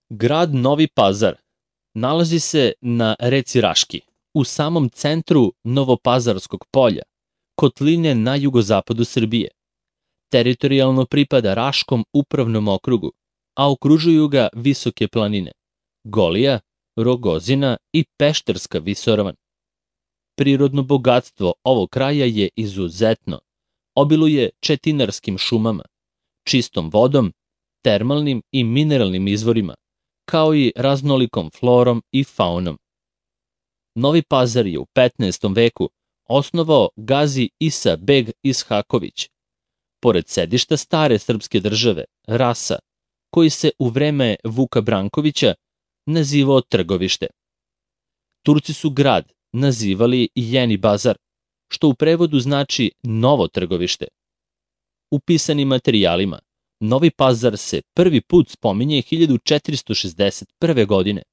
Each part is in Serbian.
Grad Novi Pazar nalazi se na reci Raški, u samom centru Novopazarskog polja, kotline na jugozapadu Srbije. Teritorijalno pripada Raškom upravnom okrugu, a okružuju ga visoke planine Golija, Rogozina i Pešterska visoravan. Prirodno bogatstvo ovog kraja je izuzetno, obiluje četinarskim šumama, čistom vodom, termalnim i mineralnim izvorima, kao i raznolikom florom i faunom. Novi Pazar je u 15. veku osnovao Gazi Isa beg Ishaković, pored sedišta stare srpske države, Rasa, koji se u vreme Vuka Brankovića nazivao Trgovište. Turci su grad nazivali Jeni Bazar, što u prevodu znači novo trgovište. U pisanim materijalima Novi Pazar se prvi put spominje 1461. godine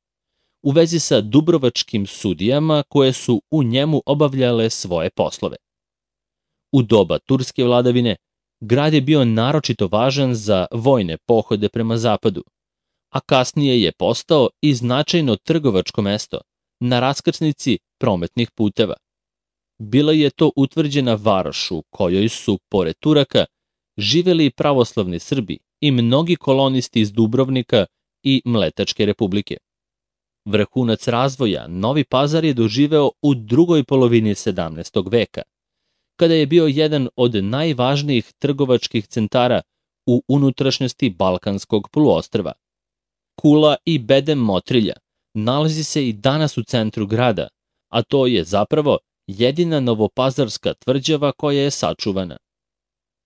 u vezi sa dubrovačkim sudijama koje su u njemu obavljale svoje poslove. U doba turske vladavine grad je bio naročito važan za vojne pohode prema zapadu, a kasnije je postao i značajno trgovačko mesto na raskrsnici prometnih puteva. Bila je to utvrđena varoš u kojoj su, pored Turaka, živeli pravoslavni Srbi i mnogi kolonisti iz Dubrovnika i Mletačke republike. Vrhunac razvoja Novi Pazar je doživeo u drugoj polovini 17. veka, kada je bio jedan od najvažnijih trgovačkih centara u unutrašnjosti Balkanskog poluostrva. Kula i bedem Motrilja nalazi se i danas u centru grada, a to je zapravo jedina novopazarska tvrđava koja je sačuvana.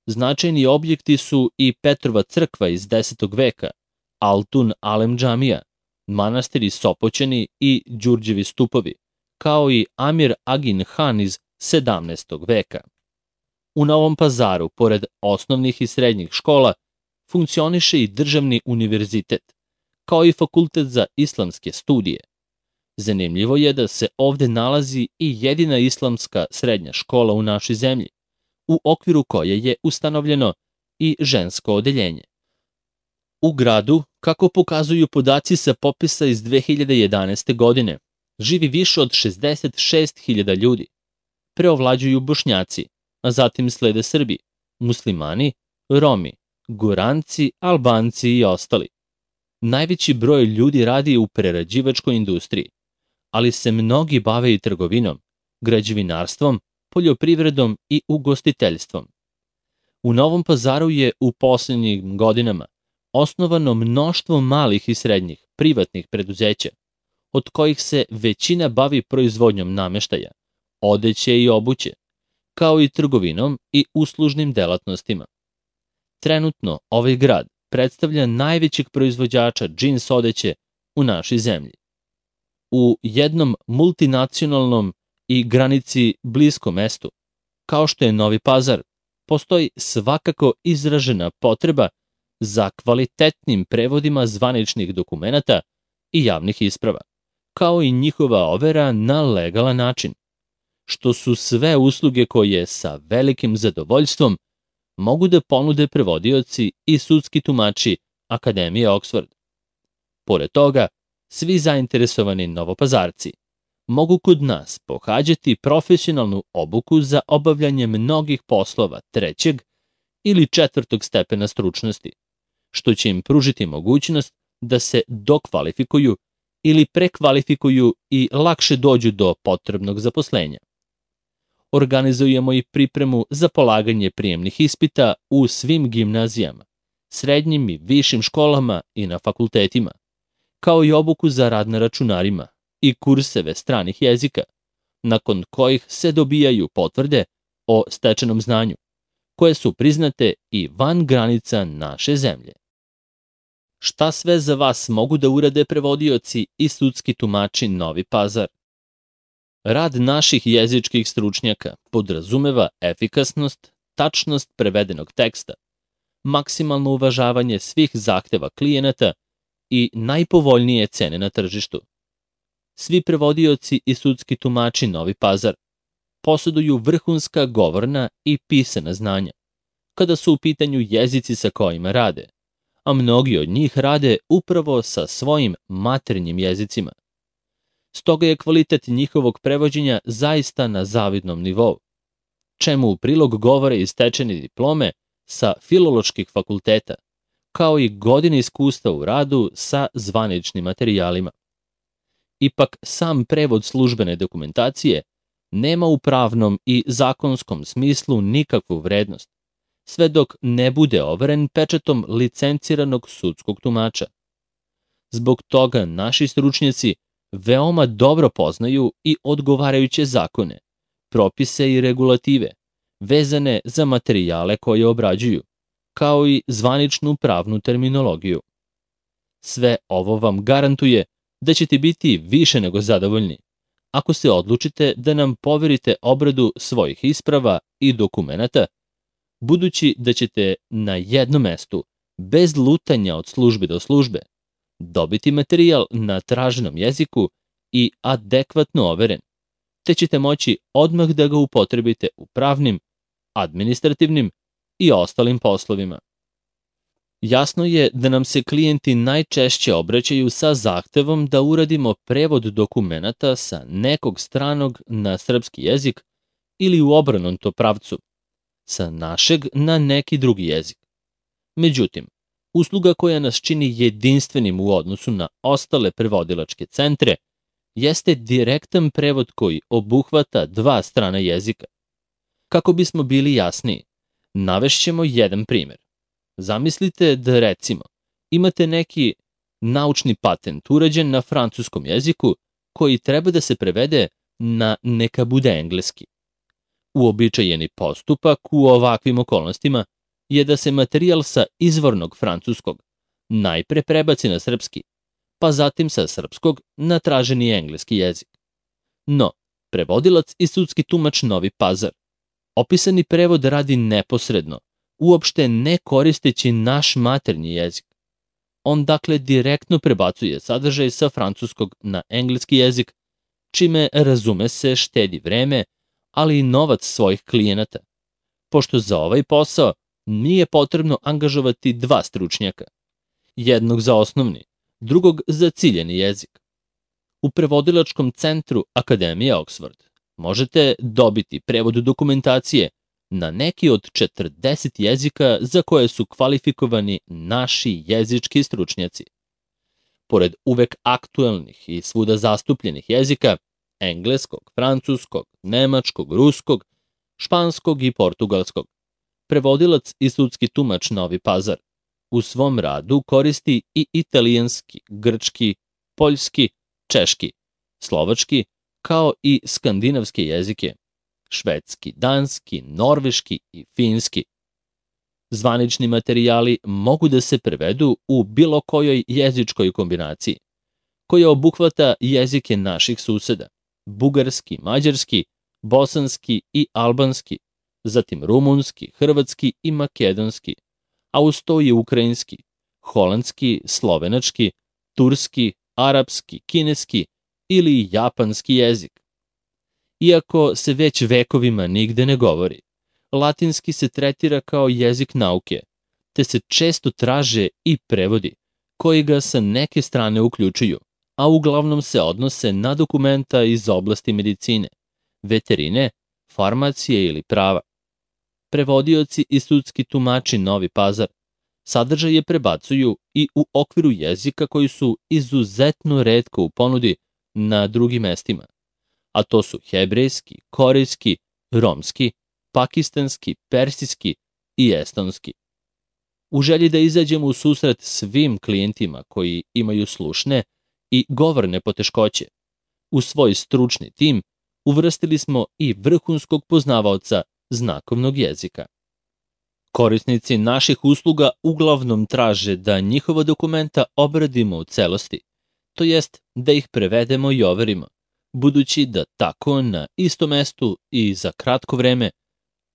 Značajni objekti su i Petrova crkva iz 10. veka, Altun Alem džamija, manastiri Sopoćani i Đurđevi stupovi, kao i Amir Agin Han iz 17. veka. U Novom Pazaru, pored osnovnih i srednjih škola, funkcioniše i državni univerzitet, kao i fakultet za islamske studije. Zanimljivo je da se ovde nalazi i jedina islamska srednja škola u našoj zemlji, u okviru koje je ustanovljeno i žensko odeljenje. U gradu, kako pokazuju podaci sa popisa iz 2011. godine, živi više od 66.000 ljudi. Preovlađuju Bošnjaci, a zatim slede Srbi, muslimani, Romi, Guranci, Albanci i ostali. Najveći broj ljudi radi u prerađivačkoj industriji, ali se mnogi bave i trgovinom, građevinarstvom, poljoprivredom i ugostiteljstvom. U Novom Pazaru je u posljednjim godinama osnovano mnoštvo malih i srednjih privatnih preduzeća, od kojih se većina bavi proizvodnjom nameštaja, odeće i obuće, kao i trgovinom i uslužnim delatnostima. Trenutno ovaj grad predstavlja najvećeg proizvođača džins odeće u našoj zemlji. U jednom multinacionalnom i granici bliskom mestu, kao što je Novi Pazar, postoji svakako izražena potreba za kvalitetnim prevodima zvaničnih dokumenata i javnih isprava, kao i njihova overa na legalan način, što su sve usluge koje sa velikim zadovoljstvom mogu da ponude prevodioci i sudski tumači Akademije Oxford. Pored toga, svi zainteresovani Novopazarci mogu kod nas pohađati profesionalnu obuku za obavljanje mnogih poslova 3. ili 4. stepena stručnosti, što će im pružiti mogućnost da se dokvalifikuju ili prekvalifikuju i lakše dođu do potrebnog zaposlenja. Organizujemo i pripremu za polaganje prijemnih ispita u svim gimnazijama, srednjim i višim školama i na fakultetima, kao i obuku za rad na računarima i kurseve stranih jezika, nakon kojih se dobijaju potvrde o stečenom znanju, koje su priznate i van granica naše zemlje. Šta sve za vas mogu da urade prevodioci i sudski tumači Novi Pazar? Rad naših jezičkih stručnjaka podrazumeva efikasnost, tačnost prevedenog teksta, maksimalno uvažavanje svih zahteva klijenata i najpovoljnije cene na tržištu. Svi prevodioci i sudski tumači Novi Pazar poseduju vrhunska govorna i pisana znanja, kada su u pitanju jezici sa kojima rade, a mnogi od njih rade upravo sa svojim maternjim jezicima. Stoga je kvalitet njihovog prevođenja zaista na zavidnom nivou, čemu u prilog govore i stečene diplome sa filoloških fakulteta, kao i godine iskustva u radu sa zvaničnim materijalima. Ipak, sam prevod službene dokumentacije nema u pravnom i zakonskom smislu nikakvu vrednost, sve dok ne bude overen pečatom licenciranog sudskog tumača. Zbog toga naši stručnjaci veoma dobro poznaju i odgovarajuće zakone, propise i regulative, vezane za materijale koje obrađuju, kao i zvaničnu pravnu terminologiju. Sve ovo vam garantuje da ćete biti više nego zadovoljni ako se odlučite da nam poverite obradu svojih isprava i dokumenata, budući da ćete na jednom mestu, bez lutanja od službe do službe, dobiti materijal na traženom jeziku i adekvatno overen, te ćete moći odmah da ga upotrebite u pravnim, administrativnim i ostalim poslovima. Jasno je da nam se klijenti najčešće obraćaju sa zahtevom da uradimo prevod dokumenata sa nekog stranog na srpski jezik ili u obrnutom pravcu, sa našeg na neki drugi jezik. Međutim, usluga koja nas čini jedinstvenim u odnosu na ostale prevodilačke centre jeste direktan prevod koji obuhvata dva strana jezika. Kako bismo bili jasniji, navešćemo jedan primjer. Zamislite da, recimo, imate neki naučni patent urađen na francuskom jeziku koji treba da se prevede na neka bude engleski. Uobičajeni postupak u ovakvim okolnostima je da se materijal sa izvornog francuskog najpre prebaci na srpski, pa zatim sa srpskog na traženi engleski jezik. No, prevodilac i sudski tumač Novi Pazar opisani prevod radi neposredno, uopšte ne koristeći naš maternji jezik. On dakle direktno prebacuje sadržaj sa francuskog na engleski jezik, čime, razume se, štedi vreme, ali i novac svojih klijenata, pošto za ovaj posao nije potrebno angažovati dva stručnjaka, jednog za osnovni, drugog za ciljeni jezik. U prevodilačkom centru Akademije Oxford možete dobiti prevod dokumentacije na neki od 40 jezika za koje su kvalifikovani naši jezički stručnjaci. Pored uvek aktuelnih i svuda zastupljenih jezika, engleskog, francuskog, nemačkog, ruskog, španskog i portugalskog, prevodilac i sudski tumač Novi Pazar u svom radu koristi i italijanski, grčki, poljski, češki, slovački, kao i skandinavske jezike, švedski, danski, norveški i finski. Zvanični materijali mogu da se prevedu u bilo kojoj jezičkoj kombinaciji, koja obuhvata jezike naših suseda, bugarski, mađarski, bosanski i albanski, zatim rumunski, hrvatski i makedonski, a uz to i ukrajinski, holandski, slovenački, turski, arapski, kineski ili japanski jezik. Iako se već vekovima nigde ne govori, latinski se tretira kao jezik nauke, te se često traže i prevodi, koji ga sa neke strane uključuju, a uglavnom se odnose na dokumenta iz oblasti medicine, veterine, farmacije ili prava. Prevodioci i sudski tumači Novi Pazar sadržaje prebacuju i u okviru jezika koji su izuzetno retko u ponudi na drugim mestima, a to su hebrejski, korejski, romski, pakistanski, persijski i estonski. U želji da izađemo u susret svim klijentima koji imaju slušne i govorne poteškoće, u svoj stručni tim uvrstili smo i vrhunskog poznavaoca znakovnog jezika. Korisnici naših usluga uglavnom traže da njihova dokumenta obradimo u celosti, to jest da ih prevedemo i overimo, budući da tako na istom mestu i za kratko vreme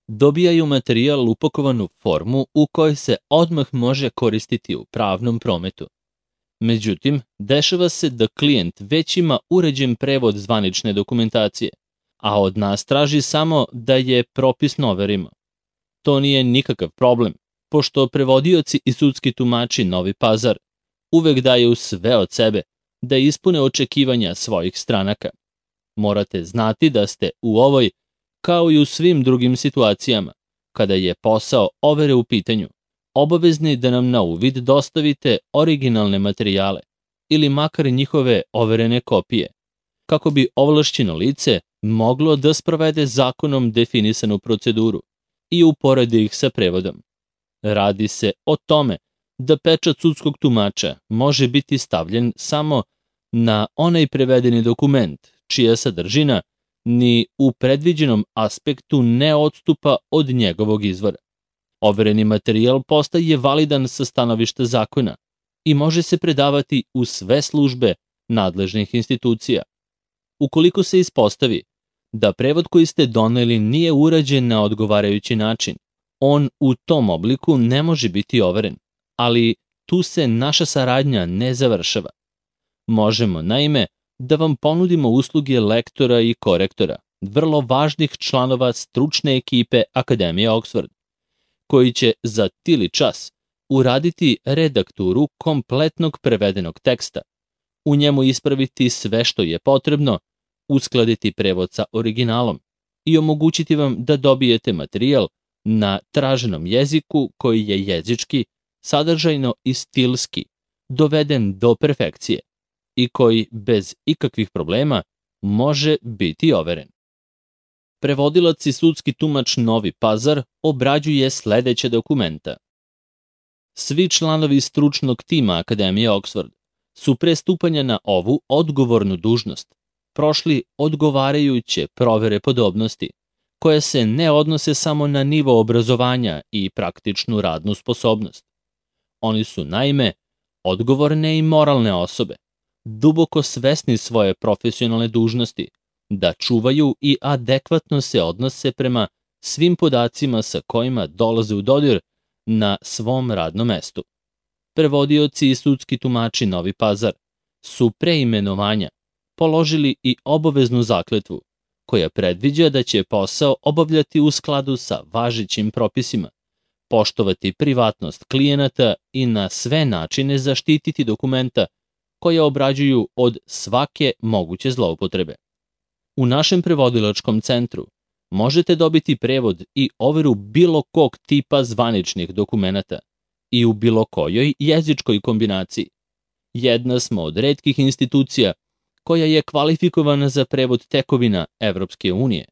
dobijaju materijal upakovan u formu u kojoj se odmah može koristiti u pravnom prometu. Međutim, dešava se da klijent već ima uređen prevod zvanične dokumentacije, a od nas traži samo da je propisno overimo. To nije nikakav problem, Pošto prevodioci i sudski tumači Novi Pazar uvek daju sve od sebe da ispune očekivanja svojih stranaka, morate znati da ste u ovoj, kao i u svim drugim situacijama, kada je posao overe u pitanju, obavezni da nam na uvid dostavite originalne materijale ili makar njihove overene kopije, kako bi ovlašćeno lice moglo da sprovede zakonom definisanu proceduru i uporedi ih sa prevodom. Radi se o tome da pečat sudskog tumača može biti stavljen samo na onaj prevedeni dokument, čija sadržina ni u predviđenom aspektu ne odstupa od njegovog izvora. Overeni materijal postaje validan sa stanovišta zakona i može se predavati u sve službe nadležnih institucija. Ukoliko se ispostavi da prevod koji ste doneli nije urađen na odgovarajući način, on u tom obliku ne može biti overen, ali tu se naša saradnja ne završava. Možemo, naime, da vam ponudimo usluge lektora i korektora, vrlo važnih članova stručne ekipe Akademije Oxford, koji će za tili čas uraditi redakturu kompletnog prevedenog teksta, u njemu ispraviti sve što je potrebno, uskladiti prevod sa originalom i omogućiti vam da dobijete materijal na traženom jeziku koji je jezički, sadržajno i stilski doveden do perfekcije i koji bez ikakvih problema može biti overen. Prevodilac i sudski tumač Novi Pazar obrađuje sledeće dokumenta. Svi članovi stručnog tima Akademije Oxford su pre stupanja na ovu odgovornu dužnost prošli odgovarajuće provere podobnosti, koje se ne odnose samo na nivo obrazovanja i praktičnu radnu sposobnost. Oni su, naime, odgovorne i moralne osobe, duboko svesni svoje profesionalne dužnosti, da čuvaju i adekvatno se odnose prema svim podacima sa kojima dolaze u dodir na svom radnom mestu. Prevodioci i sudski tumači Novi Pazar su pre imenovanja položili i obaveznu zakletvu, koja predviđa da će posao obavljati u skladu sa važećim propisima, poštovati privatnost klijenata i na sve načine zaštititi dokumenta koje obrađuju od svake moguće zloupotrebe. U našem prevodilačkom centru možete dobiti prevod i overu bilo kog tipa zvaničnih dokumenata i u bilo kojoj jezičkoj kombinaciji. Jedna smo od retkih institucija koja je kvalifikovana za prevod tekovina Evropske unije,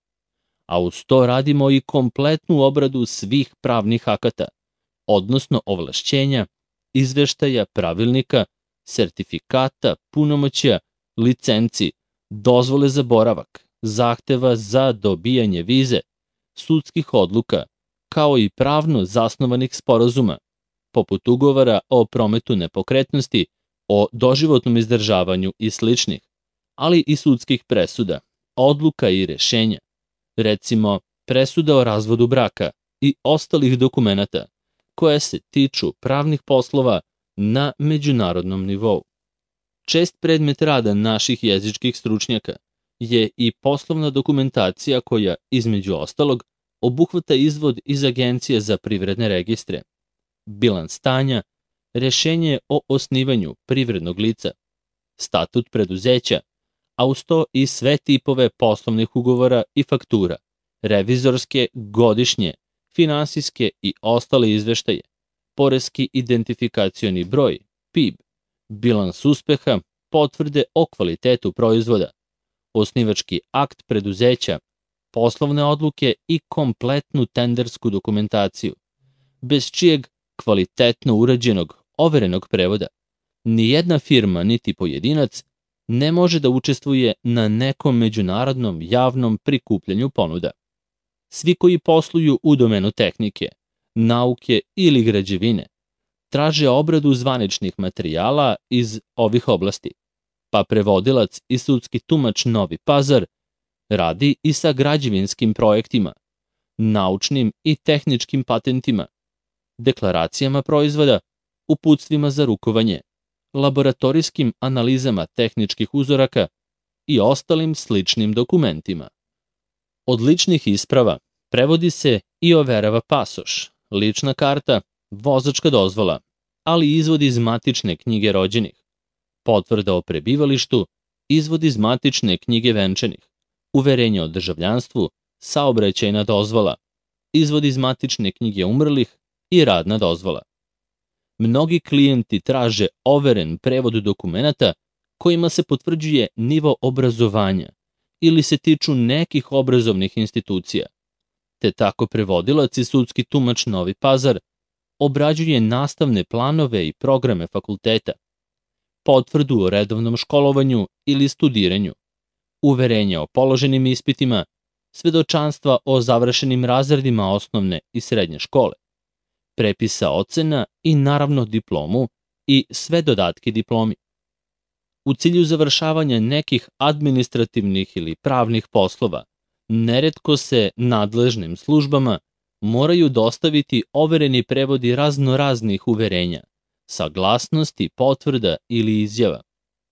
a uz to radimo i kompletnu obradu svih pravnih akata, odnosno ovlašćenja, izveštaja, pravilnika, sertifikata, punomoćja, licenci, dozvole za boravak, zahteva za dobijanje vize, sudskih odluka, kao i pravno zasnovanih sporazuma, poput ugovora o prometu nepokretnosti, o doživotnom izdržavanju i sličnih, ali i sudskih presuda, odluka i rešenja, recimo presuda o razvodu braka i ostalih dokumenata koje se tiču pravnih poslova na međunarodnom nivou. Čest predmet rada naših jezičkih stručnjaka je i poslovna dokumentacija koja, između ostalog, obuhvata izvod iz Agencije za privredne registre, bilans stanja, rešenje o osnivanju privrednog lica, statut preduzeća, a uz to i sve tipove poslovnih ugovora i faktura, revizorske, godišnje, finansijske i ostale izveštaje, poreski identifikacioni broj, PIB, bilans uspeha, potvrde o kvalitetu proizvoda, osnivački akt preduzeća, poslovne odluke i kompletnu tendersku dokumentaciju, bez čijeg kvalitetno urađenog, overenog prevoda nijedna firma niti pojedinac ne može da učestvuje na nekom međunarodnom javnom prikupljanju ponuda. Svi koji posluju u domenu tehnike, nauke ili građevine traže obradu zvaničnih materijala iz ovih oblasti, pa prevodilac i sudski tumač Novi Pazar radi i sa građevinskim projektima, naučnim i tehničkim patentima, deklaracijama proizvoda, uputstvima za rukovanje, laboratorijskim analizama tehničkih uzoraka i ostalim sličnim dokumentima. Od ličnih isprava prevodi se i overava pasoš, lična karta vozačka dozvola, ali izvod iz matične knjige rođenih, potvrda o prebivalištu, izvod iz matične knjige venčanih, uverenje o državljanstvu, saobraćajna dozvola, izvod iz matične knjige umrlih i radna dozvola. Mnogi klijenti traže overen prevod dokumenata kojima se potvrđuje nivo obrazovanja ili se tiču nekih obrazovnih institucija, te tako prevodilac i sudski tumač Novi Pazar obrađuje nastavne planove i programe fakulteta, potvrdu o redovnom školovanju ili studiranju, uverenja o položenim ispitima, svedočanstva o završenim razredima osnovne i srednje škole, prepisa ocena i naravno diplomu i sve dodatke diplomi. U cilju završavanja nekih administrativnih ili pravnih poslova, neretko se nadležnim službama moraju dostaviti overeni prevodi raznoraznih uverenja, saglasnosti, potvrda ili izjava,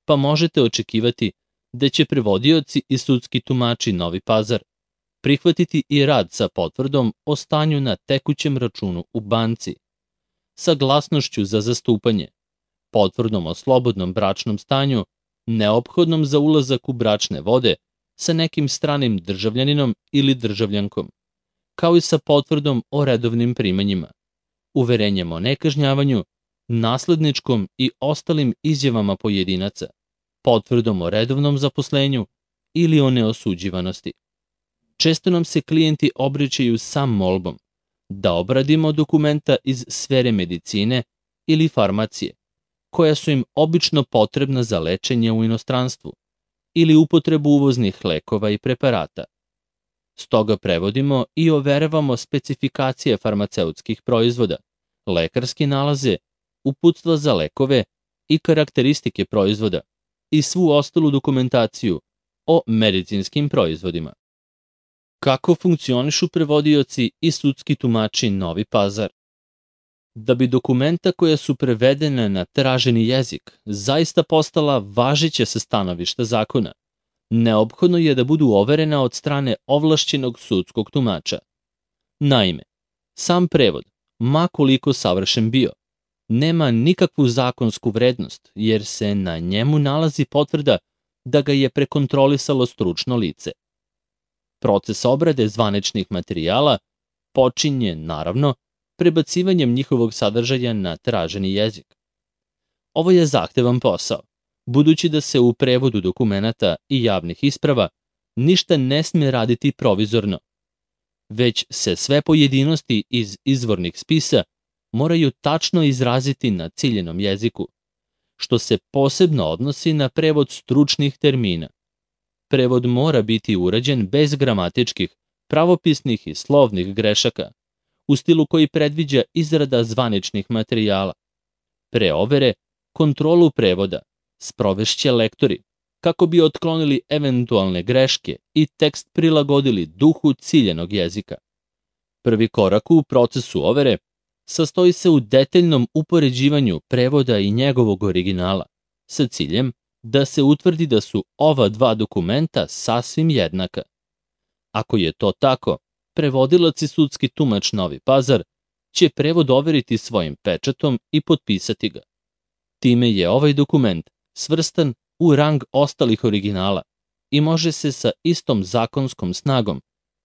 pa možete očekivati da će prevodioci i sudski tumači Novi Pazar prihvatiti i rad sa potvrdom o stanju na tekućem računu u banci, saglasnošću za zastupanje, potvrdom o slobodnom bračnom stanju, neophodnom za ulazak u bračne vode sa nekim stranim državljaninom ili državljankom, kao i sa potvrdom o redovnim primanjima, uverenjem o nekažnjavanju, nasledničkom i ostalim izjavama pojedinaca, potvrdom o redovnom zaposlenju ili o neosuđivanosti. Često nam se klijenti obraćaju sa molbom da obradimo dokumenta iz sfere medicine ili farmacije, koja su im obično potrebna za lečenje u inostranstvu ili upotrebu uvoznih lekova i preparata. Stoga prevodimo i overavamo specifikacije farmaceutskih proizvoda, lekarske nalaze, uputstva za lekove i karakteristike proizvoda i svu ostalu dokumentaciju o medicinskim proizvodima. Kako funkcionišu prevodioci i sudski tumači Novi Pazar? Da bi dokumenta koja su prevedena na traženi jezik zaista postala važeća sa stanovišta zakona, neophodno je da budu overena od strane ovlašćenog sudskog tumača. Naime, sam prevod, ma koliko savršen bio, nema nikakvu zakonsku vrednost jer se na njemu nalazi potvrda da ga je prekontrolisalo stručno lice. Proces obrade zvaničnih materijala počinje, naravno, prebacivanjem njihovog sadržaja na traženi jezik. Ovo je zahtevan posao, budući da se u prevodu dokumenata i javnih isprava ništa ne sme raditi provizorno, već se sve pojedinosti iz izvornih spisa moraju tačno izraziti na ciljenom jeziku, što se posebno odnosi na prevod stručnih termina. Prevod mora biti urađen bez gramatičkih, pravopisnih i slovnih grešaka, u stilu koji predviđa izrada zvaničnih materijala. Pre overe, kontrolu prevoda sprovešće lektori, kako bi otklonili eventualne greške i tekst prilagodili duhu ciljenog jezika. Prvi korak u procesu overe sastoji se u detaljnom upoređivanju prevoda i njegovog originala, sa ciljem da se utvrdi da su ova dva dokumenta sasvim jednaka. Ako je to tako, prevodilac i sudski tumač Novi Pazar će prevod overiti svojim pečatom i potpisati ga. Time je ovaj dokument svrstan u rang ostalih originala i može se sa istom zakonskom snagom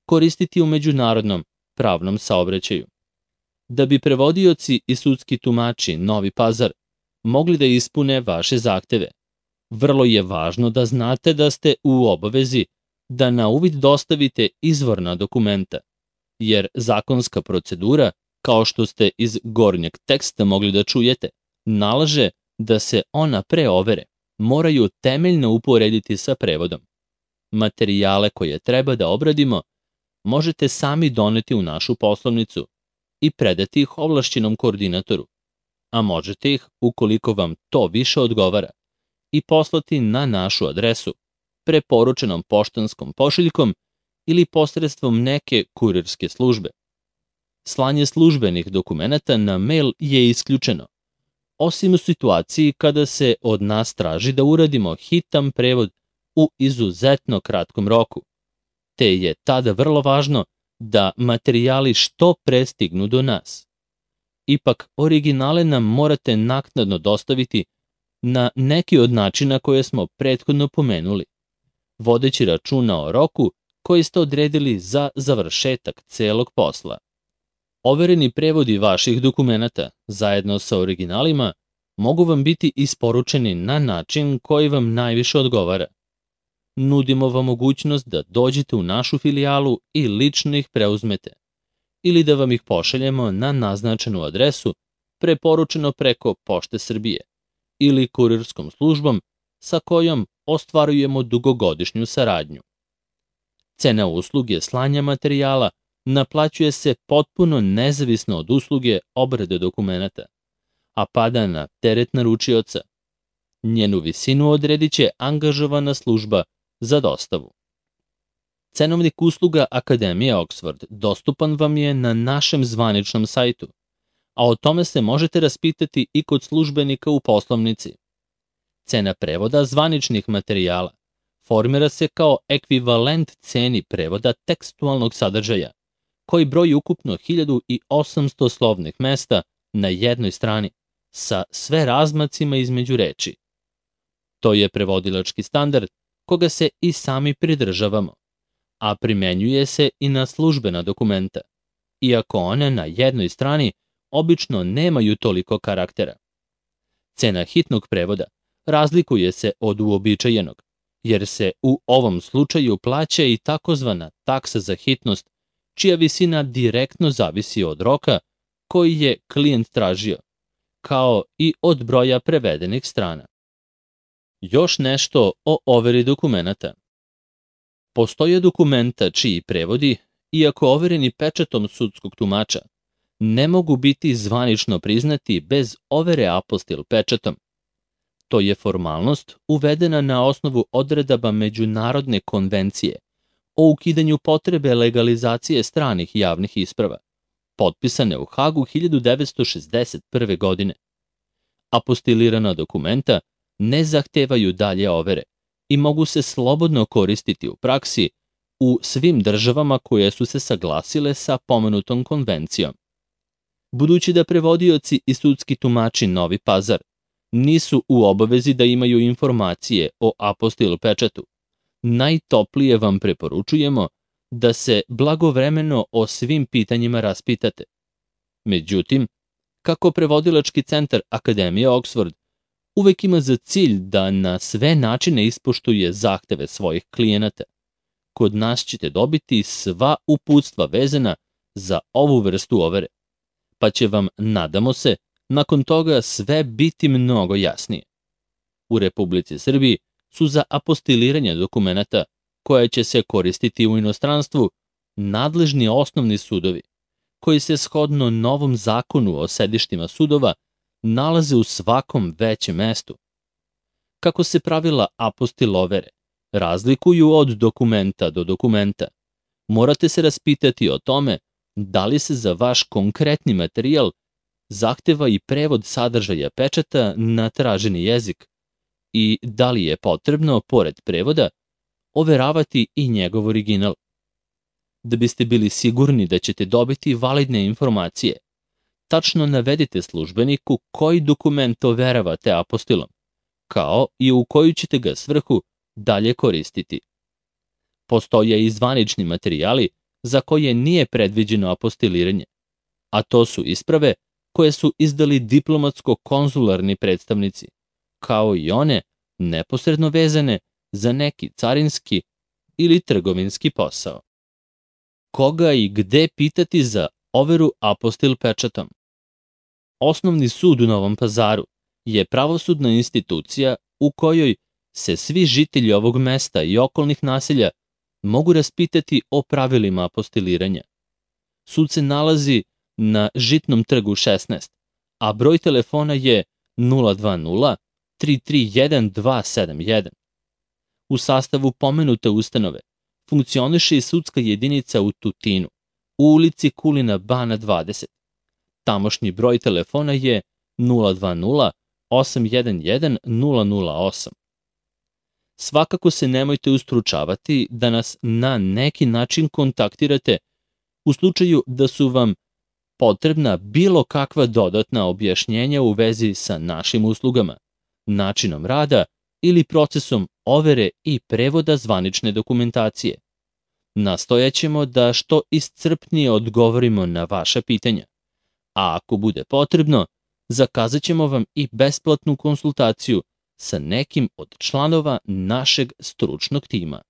koristiti u međunarodnom pravnom saobraćaju. Da bi prevodioci i sudski tumači Novi Pazar mogli da ispune vaše zahteve, vrlo je važno da znate da ste u obavezi da na uvid dostavite izvorna dokumenta, jer zakonska procedura, kao što ste iz gornjeg teksta mogli da čujete, nalaže da se ona pre overe moraju temeljno uporediti sa prevodom. Materijale koje treba da obradimo možete sami doneti u našu poslovnicu i predati ih ovlašćenom koordinatoru, a možete ih, ukoliko vam to više odgovara, i poslati na našu adresu, preporučenom poštanskom pošiljkom ili posredstvom neke kurirske službe. Slanje službenih dokumenata na mail je isključeno, osim u situaciji kada se od nas traži da uradimo hitan prevod u izuzetno kratkom roku, te je tada vrlo važno da materijali što pre stignu do nas. Ipak, originale nam morate naknadno dostaviti na neki od načina koje smo prethodno pomenuli, vodeći računa o roku koji ste odredili za završetak celog posla. Overeni prevodi vaših dokumenata, zajedno sa originalima, mogu vam biti isporučeni na način koji vam najviše odgovara. Nudimo vam mogućnost da dođete u našu filijalu i lično ih preuzmete, ili da vam ih pošaljemo na naznačenu adresu, preporučeno preko Pošte Srbije, ili kurirskom službom sa kojom ostvarujemo dugogodišnju saradnju. Cena usluge slanja materijala naplaćuje se potpuno nezavisno od usluge obrade dokumenata, a pada na teret naručioca. Njenu visinu odredit će angažovana služba za dostavu. Cenovnik usluga Akademije Oxford dostupan vam je na našem zvaničnom sajtu, a o tome se možete raspitati i kod službenika u poslovnici. Cena prevoda zvaničnih materijala formira se kao ekvivalent ceni prevoda tekstualnog sadržaja, koji broji ukupno 1800 slovnih mesta na jednoj strani, sa sve razmacima između reči. To je prevodilački standard koga se i sami pridržavamo, a primenjuje se i na službena dokumenta, iako one na jednoj strani obično nemaju toliko karaktera. Cena hitnog prevoda razlikuje se od uobičajenog, jer se u ovom slučaju plaća i takozvana taksa za hitnost, čija visina direktno zavisi od roka koji je klijent tražio, kao i od broja prevedenih strana. Još nešto o overi dokumenata. Postoje dokumenta čiji prevodi, iako overeni pečatom sudskog tumača, ne mogu biti zvanično priznati bez overe apostil pečatom. To je formalnost uvedena na osnovu odredaba Međunarodne konvencije o ukidanju potrebe legalizacije stranih javnih isprava, potpisane u Hagu 1961. godine. Apostilirana dokumenta ne zahtevaju dalje overe i mogu se slobodno koristiti u praksi u svim državama koje su se saglasile sa pomenutom konvencijom. Budući da prevodioci i sudski tumači Novi Pazar nisu u obavezi da imaju informacije o apostil pečatu, najtoplije vam preporučujemo da se blagovremeno o svim pitanjima raspitate. Međutim, kako prevodilački centar Akademije Oxford uvek ima za cilj da na sve načine ispoštuje zahteve svojih klijenata, kod nas ćete dobiti sva uputstva vezana za ovu vrstu overe, pa će vam, nadamo se, nakon toga sve biti mnogo jasnije. U Republici Srbiji su za apostiliranje dokumenata koje će se koristiti u inostranstvu nadležni osnovni sudovi, koji se shodno novom zakonu o sedištima sudova nalaze u svakom većem mestu. Kako se pravila apostil overe razlikuju od dokumenta do dokumenta, morate se raspitati o tome da li se za vaš konkretni materijal zahteva i prevod sadržaja pečata na traženi jezik i da li je potrebno, pored prevoda, overavati i njegov original. Da biste bili sigurni da ćete dobiti validne informacije, tačno navedite službeniku koji dokument overavate apostilom, kao i u koju ćete ga svrhu dalje koristiti. Postoje i zvanični materijali za koje nije predviđeno apostiliranje, a to su isprave koje su izdali diplomatsko-konzularni predstavnici, kao i one neposredno vezane za neki carinski ili trgovinski posao. Koga i gde pitati za overu apostil pečatom? Osnovni sud u Novom Pazaru je pravosudna institucija u kojoj se svi žitelji ovog mesta i okolnih naselja mogu raspitati o pravilima apostiliranja. Sud se nalazi na Žitnom trgu 16, a broj telefona je 020 331 271. U sastavu pomenute ustanove funkcioniše i sudska jedinica u Tutinu, u ulici Kulina Bana 20. Tamošnji broj telefona je 020 811 008. Svakako se nemojte ustručavati da nas na neki način kontaktirate u slučaju da su vam potrebna bilo kakva dodatna objašnjenja u vezi sa našim uslugama, načinom rada ili procesom overe i prevoda zvanične dokumentacije. Nastojaćemo da što iscrpnije odgovorimo na vaša pitanja, a ako bude potrebno, zakazat ćemo vam i besplatnu konsultaciju sa nekim od članova našeg stručnog tima.